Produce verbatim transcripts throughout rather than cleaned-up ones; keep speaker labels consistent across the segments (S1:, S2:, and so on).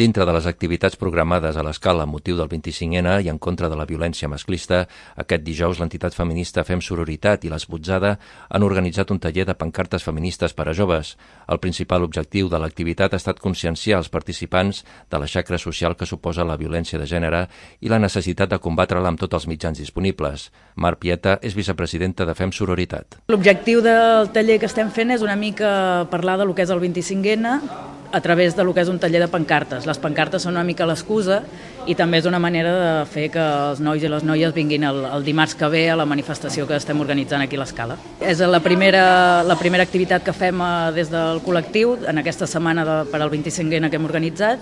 S1: Dintre de les activitats programades a l'Escala amb motiu del vint-i-cinc ena i en contra de la violència masclista, aquest dijous l'entitat feminista Fem Sororitat i l'Esbotzada han organitzat un taller de pancartes feministes per a joves. El principal objectiu de l'activitat ha estat conscienciar els participants de la xacra social que suposa la violència de gènere i la necessitat de combatre-la amb tots els mitjans disponibles. Mar Pieta és vicepresidenta de Fem Sororitat.
S2: L'objectiu del taller que estem fent és una mica parlar de lo que és el vint-i-cinc ena a través de lo que és un taller de pancartes. Les pancartes són una mica l'excusa i també és una manera de fer que els nois i les noies vinguin el, el dimarts que ve a la manifestació que estem organitzant aquí a l'Escala. És la primera, la primera activitat que fem des del col·lectiu en aquesta setmana de, per al vint-i-cinc ena que hem organitzat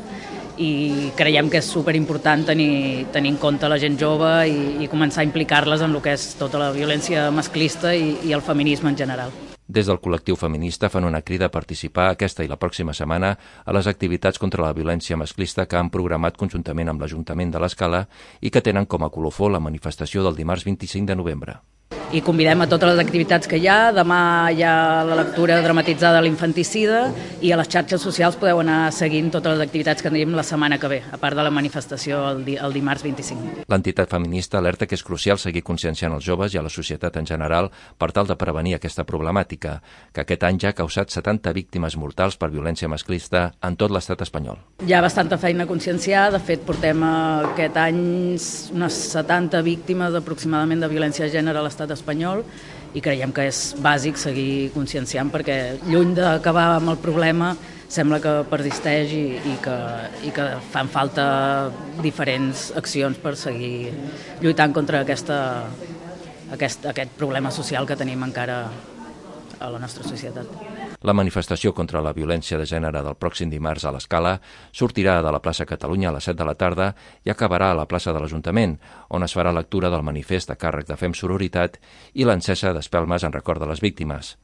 S2: i creiem que és superimportant tenir, tenir en compte la gent jove i, i començar a implicar-les en el que és tota la violència masclista i, i el feminisme en general.
S1: Des del col·lectiu feminista fan una crida a participar aquesta i la pròxima setmana a les activitats contra la violència masclista que han programat conjuntament amb l'Ajuntament de l'Escala i que tenen com a colofó la manifestació del dimarts vint-i-cinc de novembre.
S2: I convidem a totes les activitats que hi ha. Demà hi ha la lectura dramatitzada de l'infanticida i a les xarxes socials podeu anar seguint totes les activitats que tenim la setmana que ve, a part de la manifestació el, di el dimarts vint-i-cinc.
S1: L'entitat feminista alerta que és crucial seguir conscienciant els joves i a la societat en general per tal de prevenir aquesta problemàtica, que aquest any ja ha causat setanta víctimes mortals per violència masclista en tot l'estat espanyol.
S2: Hi ha bastanta feina a conscienciar. De fet, portem aquest any unes setanta víctimes aproximadament de violència de gènere a l'estat espanyol i creiem que és bàsic seguir conscienciant perquè lluny d'acabar amb el problema sembla que persisteix i, i, que, i que fan falta diferents accions per seguir lluitant contra aquesta, aquest, aquest problema social que tenim encara a la nostra societat.
S1: La manifestació contra la violència de gènere del pròxim dimarts a l'Escala sortirà de la plaça Catalunya a les set de la tarda i acabarà a la plaça de l'Ajuntament, on es farà lectura del manifest a càrrec de Fem Sororitat i l'encesa d'espelmes en record de les víctimes.